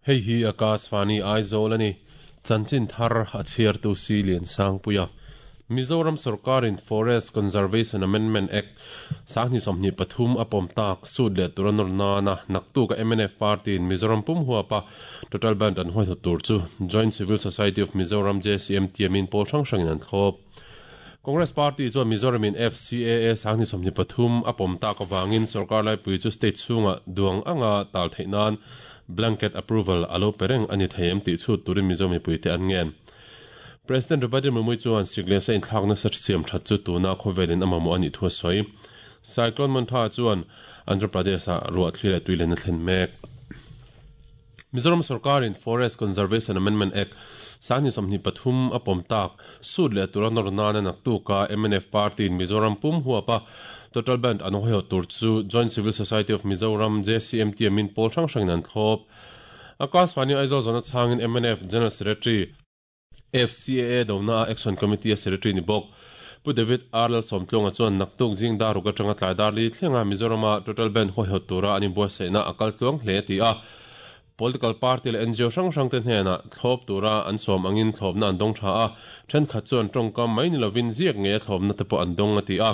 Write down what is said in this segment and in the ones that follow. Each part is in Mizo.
Hei hi Akashvani Aizawl a ni. Chanchin thar a chhiartu Si Liansangpuia. Mizoram sorkarin Forest Conservation Amendment Act 2023 a pawm tak sut leh tura nawr nana naktuka mnf party-in Mizoram pum huapa total band an huaihawt tur chu Joint Civil Society of Mizoram JCM tiamin pawl hrang hrangin an thlawp. Congress party chuan Mizoramin FCAA 2023 a pawm tak avangin sorkar laipui chu state chhunga duang anga tal theih nan blanket approval a lo pe reng a ni thei em tih chhut turin Mizo mipuite an ngen. President Draupadi Murmu chuan siklesa inthlak nasa siam that chu tuna khawvelin a mamawh a nih thu a sawi. Cyclone Montha chuan Andhra Pradesh-ah ruah thli leh tui len a thlen mek. Mizoram sorkarin Forest Conservation Amendment Act 2023 a pawm tak sut leh tura nawr nana naktuka mnf party-in Mizoram pum huapa total band an hawihawt tur chu Joint Civil Society of Mizoram, JCM, tiamin pawl hrang hrangin an thlawp. Akashvani Aizawl zawhna chhangin mnf General Secretary, FCAA dona Action Committee a Secretary ni bawk Pu David R Lalsawmtluanga chuan naktuk zing dar ruk atanga tlai dar li thlenga Mizorama total band huaihawt tura an inbuatsaihna a kal tluang hle a ti a. Political party leh NGO hrang hrang te hnenah thlawp tura an sawm angin thlawpna an dawng tha a, thenkhat chuan tawngkam mai ni lovin ziak ngei a thlawpna te pawh an dawng a ti a.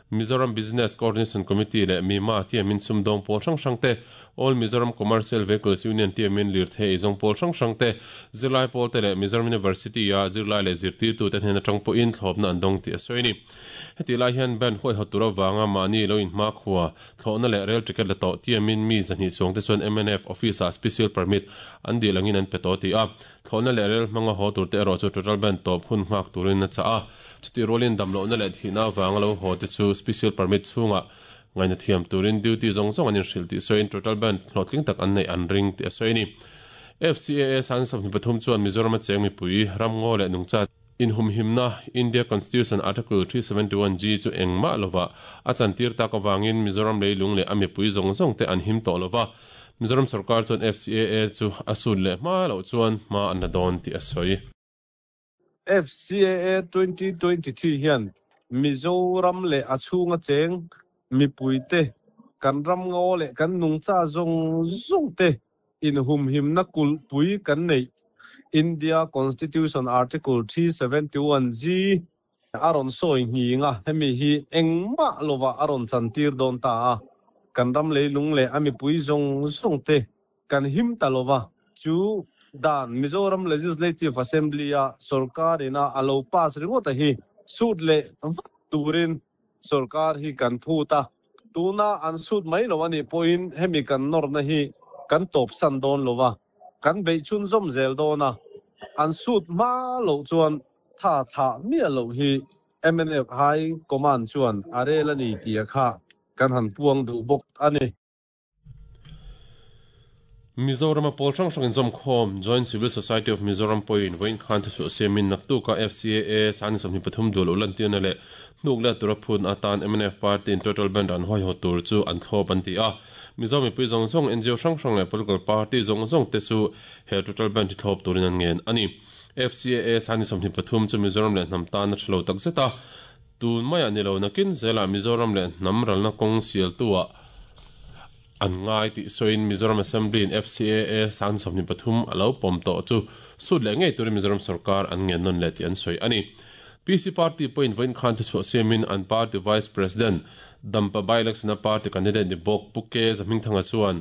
Mizoram Business Coordination Committee leh MIMA tiamin sumdawng pawl hrang hrang te, All Mizoram Commercial Vehicles Union tiamin lirthei eizawng pawl hrang hrang te, zirlai pawl te leh Mizoram University-a zirlai leh zirtirtute hnen atang pawhin thlawpna an dawng tih a sawi a ni. Hetih lai hian band huaihawt tur avanga mahni lo inhmakhua, thlawhna leh rail ticket la tawh tiamin mi zahnih chuang te chuan mnf office-ah special permit an dil angin an pe tawh ti a. Thlawhna leh rel hmanga haw tur te erawh chu total band tawp hun nghak turin a chah a. Chutih rualin damlohna leh thihna avanga lo haw te chu special permit chhungah ngaihna thiam turin duty zawng zawng an inhrilh tih sawiin total band hlawhtling tak an neih an ring tih a sawi a ni. FCAA 2023 chuan Mizoram a cheng mipui, ramngaw leh nungcha inhumhimna India Constitution Article 371G chu engmah lovah a chantir tak avangin Mizoram leilung leh a mipui zawng zawng te an him tawh lova, Mizoram sorkar chuan FCAA chu a sut leh hma loh chuan hma an la dawn tih a sawi. FCAA 2023 hian Mizoram leh a chhunga cheng mipuite, kan ramngaw leh kan nungcha zawng zawng te inhumhimna kulhpui kan neih India Constitution Article 371G a rawn sawi nghing a, hemi hi engmah lovah a rawn chantir dawn ta a, kan ram leilung leh a mipui zawng zawng te kan him ta lova, chu dan Mizoram Legislative Assembly a sorkar ina a lo pass ringawt a hi sut leh vat turin sorkar hi kan phut a, tuna an sut mai lo anih pawhin hemi kan nawrna hi kan tawpsan dawn lova, kan beih chhunzawm zel dawn a, an sut hma loh chuan tha thlah miah loh hi mnf High Command chuan a rel a ni tih a kha kan han puang duh bawk a ni. Mizorama pawl hrang hrang inzawmkhawm Joint Civil Society of Mizoram pawhin vawiin khan thuchhuah siamin naktuka FCAA 2023 dual ul lantirna leh hnuk let tura phun atan mnf party in total band an huaihawt tur chu an thlawp an ti a. Mizo mipui zawng zawng, NGO hrang hrang leh political party zawng zawng te chu he total band hi thlawp turin an ngen a ni. FCAA 2023 chu Mizoram leh hnam tan a tha lo takzet a, tun maiah ni lo nakin zelah Mizoram leh hnam ralna kawng sialtuah an ngai tih sawiin Mizoram Assembly-in FCAA 2023 a lo pawm tawh chu sut leh ngei turin Mizoram sorkar an ngen nawn leh tih an sawi a ni. PC party pawhin vawiin khan thuchhuah siamin an party Vice President Dampa by-election-a party candidate ni bawk Pu K Zahmingthanga chuan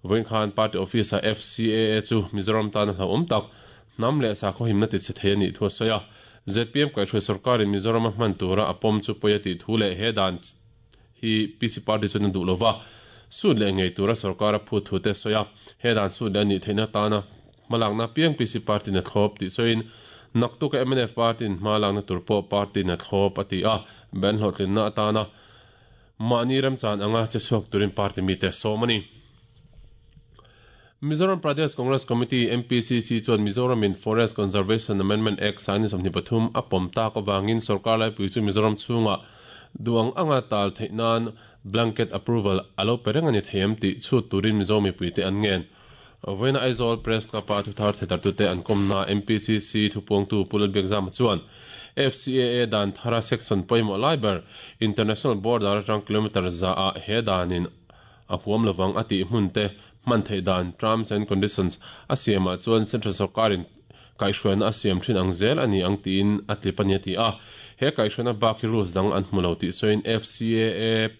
vawiin khan party office-ah FCAA chu Mizoram tan a hlauhawm tak hnam leh sakhaw himna tichhe thei a nih thu a sawi a. Zpm kaihhruai sorkarin Mizoram a hman tura a pawm chu pawi a tih thu leh he dan hi PC party chuan a duh lova sut leh ngei tura sorkar a phut thu te a sawi a. He dan sut leh a nih theihna tana hmalakna piang PC party in a thlawp tih sawiin naktuka mnf party in hma lakna tur pawh party in a thlawp a ti a, ban hlawhtlinna atana mahni remchan anga che chhuak turin party mite a sawm a ni. Mizoram Pradesh Congress Committee, MPCC, chuan Mizoram in Forest Conservation Amendment Act 2023 a pawm tak avangin sorkar laipui chu Mizoram chhungah duh ang anga tal theih nan blanket approval a lo pe reng a ni thei em tih chhut turin Mizo mipuite an ngen. Vawiina Aizawl Press Club-a thuthar thetartute an kawmna MPCC thupuangtu Pu Lalbiakzama chuan FCAA dan thara section pawimawh lai ber International border atang kilometre za ah he danin a huam lovang a tih hmun te hman theih dan, terms and conditions, a siamah chuan Central sawrkarin kaihhruaina a siam thin ang zel a ni ang tiin a tlip a ni a ti a. He kaihhruaina bak hi rules dang an hmu lo tih sawiin FCAA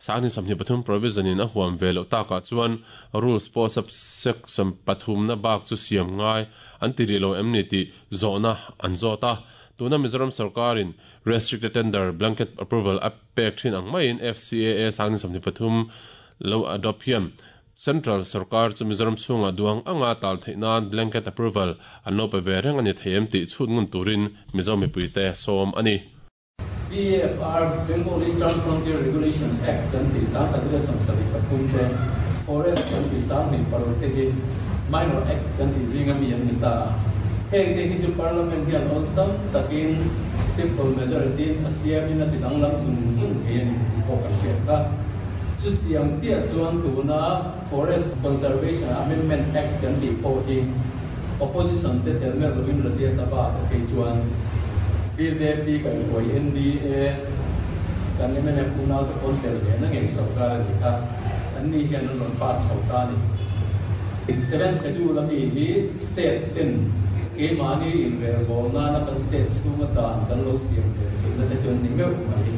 2023 provision in a huam ve loh takah chuan rules pawh subsection pathumna bak chu siam ngai an ti rih lo em ni tih zawhna an zawt a. Tuna Mizoram sawrkarin restricted tender blanket approval a pek thin ang maiin FCAA 2023 lo adopt hian Central sawrkar chu Mizoram chhungah duang anga tal theih nan blanket approval an lo pe ve reng a ni thei em tih chhut ngun turin Mizo mipuite sawm a ni. BFR, Bengal Eastern Frontier Regulation Act kan tih 1973 te, Forest kan tih 2006 te hi Minor Acts kan tih zinga mi an ni ta a. Heng te hi chu Parliament hian awlsam takin simple majority in a siamin a ti danglam zung zung thei a ni tih pawh kan hriat kha. Chutiang chiah chuan tuna Forest Conservation Amendment Act kan tih pawh hi Opposition te tel meuh loin Rajya Sabha te phei chuan bjp kaihhruai NDA kan mnf unau te pawn tel ve na ngei sorkar a ni kha an ni hian an rawn pass chho ta a ni. Seventh Schedule a mi hi state ten keimahni inrelbawl nana kan state chhunga dan kan lo siam ve theihna te chu an ni meuh mai.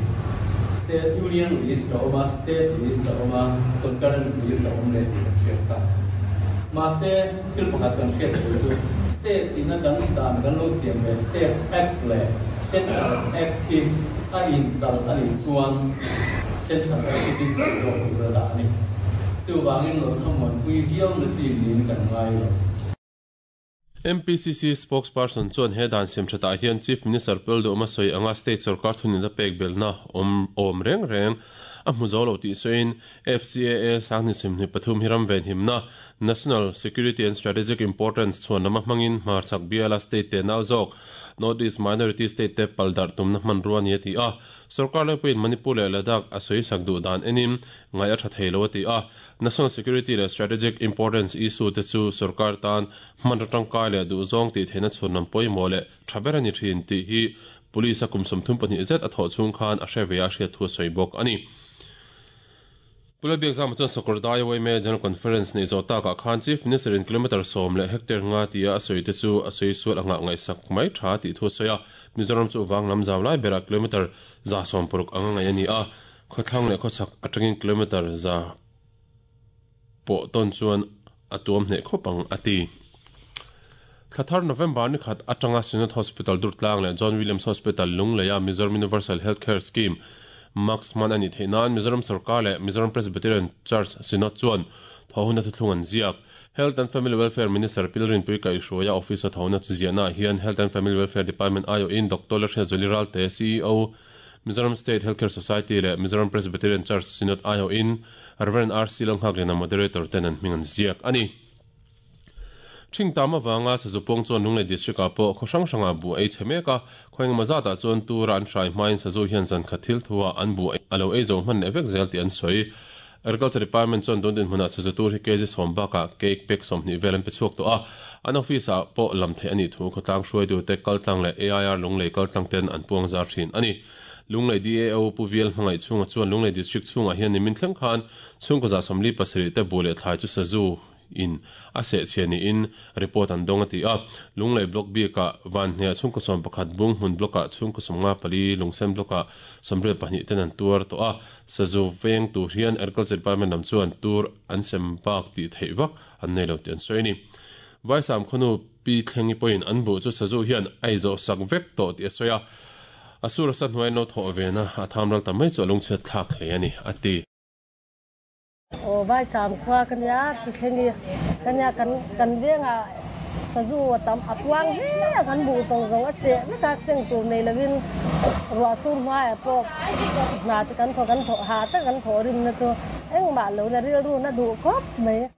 State Union list a awm a, State list a awm a, Concurrent list a awm leh tih kan hriat kha. Mahse. Thil pakhat kan hriat tur chu State ina kan dan kan lo siam ve State Act leh Central Act hi a inkalh a nih chuan Central Act hi din theih zawk tur a dah a ni. Chuvangin lo thlamuanpui viau na chi niin kan ngai lo. MPCC spokesperson chuan he dan siam thatah hian Chief Minister Pelduhma sawi anga state sorkar thunina pek belhna awm awm reng reng a hmu zo lo tih sawiin FCAA 2023 hi ram venhimna, National Security and Strategic Importance, chhuan lama hmangin hmarchhak biala state te nau zawk, North East Minority State te pal darh tumna hmanrua a ni a ti a. Sorkar laipuiin Manipur leh Ladakh a sawi sak duh dan enin ngaih a tha thei lo a ti a. National Security leh Strategic Importance issue te chu sorkar tan hmanraw tangkai leh duhzawng tih theihna chhun lam pawimawh leh tha ber a ni thin tih hi Police a kum 32 zet a thawh chhung khan a hre ve a hriat thu a sawi bawk a ni. Pu Lalbiakzama chuan Sakawrdai YMA General Conference neih zawh takah khan Chief Minister in kilometre sawm leh hectare nga tia a sawi te chu a sawi sual a nghah ngaihsak mai tha tih thu a sawi a. Mizoram chu vang lam zau lai berah kilometre 160 anga ngaih a ni a, khawthlang leh khawchhak atangin kilometre za pawh tawn chuan a tuam hneh khawp ang a ti. Thla thar November ni khat atanga Synod Hospital Durtlang leh John Williams Hospital Lungleia Mizoram Universal Health Care Scheme, MUCS, hman a nih theih nan Mizoram Sorkar leh Mizoram Presbyterian Church Synod chuan thawhuna thuthlung an ziak. Health and Family Welfare Minister Pilrinpui Kaihhruaia office-a thawhna chu ziahnaah hian Health and Family Welfare Department aiawhin Doctor Lalhriatzuali Ralte, CEO, Mizoram State Healthcare Society leh Mizoram Presbyterian Church Synod aiawhin Rev. RC Lalnghaklena Moderator ten an hming an ziak a ni. Thing tam avanga Sazu pawng chuan Lunglei District ah pawh khaw hrang hrangah buh ei chhe mek a, khaw engemaw zatah chuan tura an hrai hmain Sazu hian zan khat thil thu ah an buh a lo ei zo hman leh vek zel tih an sawi. Agriculture Department chuan tun dinhmunah Sazu tur hi kg sawm bakah cake pack 20 vel an pe chhuak tawh a, an office ah pawh lam theih a nih thu khawtlang hruaitute kaltlang leh AIR Lunglei kaltlang ten an puang zar thin a ni. Lunglei DAO Pu Vial hmangaih chhunga chuan Lunglei District chhungah hian nimin thleng khan chhungkaw 47 te buh leh thlai chu Sazu in a seh chhia niin report an dawng a ti a. Lunglei Block bikah Vanhne-ah chhungkaw 11, Bunghmun Block-ah chhungkaw 54, Lungsen Block-ah 82 ten an tuar tawh a. Sazu veng tur hian Agriculture Department lam chuan tur an sem bak tih theih vak an nei lo tih an sawi a ni. Vaisam khawnu Pi Thlengi pawhin an buh chu Sazu hian a izawh sak vek tawh tih a sawi a. A sur a sa hnuai an lo thawh ve na a tham ral ta mai chu a lungchhiat thlak hle a ni, a ti. Aw Vaisam khua ka nia, Pi Thlengi ka nia, kan kan vengah Sazu a tam a puang hle a, kan buh zawng zawng a seh vek a, seng tur nei lovin ruah sur hmaiah pawh hna te kan thawk, kan thawh hah tak kan thawh rimna chu engmah lo na rilru na duh khawp mai.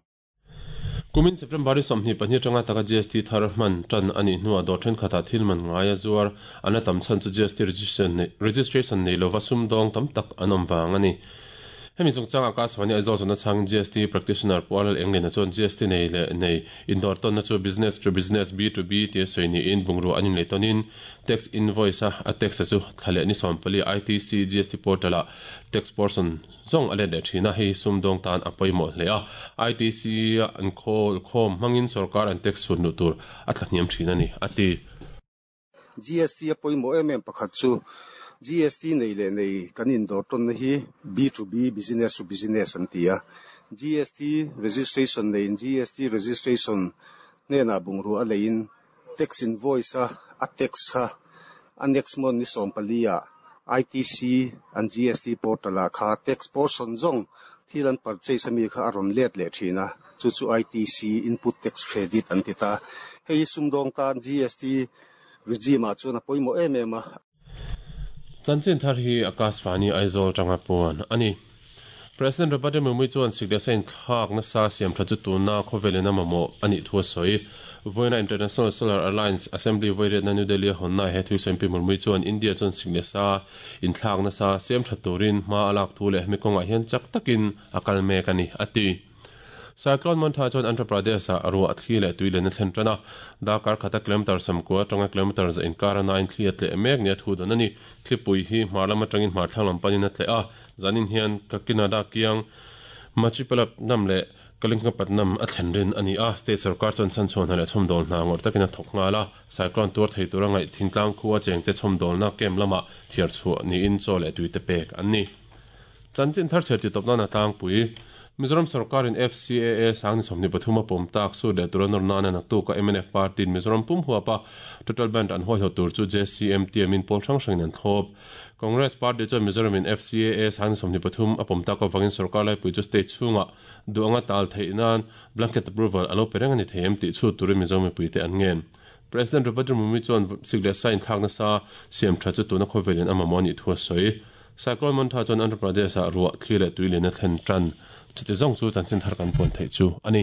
Kumin September i 22 atanga taka GST thar hman tan a nih hnuah dawr thenkhatah thil man ngaia zuar an la tam chhan chu GST registration nei lova sumdawng tam tak an awm vang a ni. Hemi chungchang Akashvani Aizawl zawhna chhangin GST Practitioner Pu Arlal Englina chuan GST nei leh nei indawr tawnna chu Business to Business, B to B, tia sawi niin bungrua an inlei tawnin Tax Invoice a a tax a chu thla leh ni 14 ITC GST Portal ah tax portion zawng a let leh thin a, hei hi sumdawng tan a pawimawh hle a, ITC a an khawl khawm hmangin sorkar an tax chhun luh tur a thlahniam thin a ni, a ti. GST a pawimawh em em pakhat chu GST nei leh nei kan indawr tawnna hi B to B, business to business, an ti a. GST registration neiin GST registration hnenah bungrua a leiin tax invoice a a tax kha a next month ni 14 ah ITC an GST portal ah kha tax portion zawng thil an purchase ami kha a rawn let leh thin a, chu chu ITC, Input Tax Credit, an ti ta. Hei hi sumdawng tan GST regime ah chuan a pawimawh em em a. Chanchin thar hi Akashvani Aizawl tanga puan a ni. President Robert Murmu chuan sikdesa inthlak nasa siam tha chu tuna khawvelin a mamawh a nih thu a sawi. Vawiina International Solar Alliance Assembly vawiriatna New Delhi a hawnnaah he thu sawi Pi Murmu chuan India chuan sikdesa inthlak nasa siam tha turin hma a lak thu leh hemi kawngah hian chak takin a kal mek a ni, a ti. Cyclone Montha chuan Andhra Pradesh-ah ruah thli leh tui len a thlen tan a, darkar khata kilometre 90 atanga kilometre za inkar a nain thli a tleh mek nia thu dawn a ni. Thlipui hi hmar lam atangin hmar thlang lam panin a tleh a, zanin hian Kakinada kiang Machipalapnam leh Kalingapatnam a thlen rin a ni a, state sorkar chuan chhanchhuah hna leh chhawmdawl hna ngawrh takin a thawk nghal a, cyclone tuar thei tura ngaih thingtlang khua chengte chhawmdawlna camp lamah thiar chhuah niin chaw leh tuite pek an ni. Chanchin thar chher titawp nana tlangpui, Mizoram sorkarin FCAA sang ni 23 a pawm tak sut leh tura nawr nana naktuka mnf party-in Mizoram pum huapa total band an huaihawt tur chu JCM tiamin pawl hrang hrangin an thlawp. Congress party chuan Mizoramin FCAA sang ni 23 a pawm tak avangin sorkar laipui chu state chhungah duh anga tal theih nan blanket approval a lo pe reng a ni thei em tih chhut turin Mizo mipuite an ngen. President Robert Murmu chuan sik leh sa inthlak nasa siam tha chu tuna khawvelin a mamawh a nih thu a sawi. Cyclone Montha chuan Andhra Pradesh-ah ruah, thli leh tui lian a thlen tan. Chuti zawng chu chanchin thar kan puan theih chu a ni.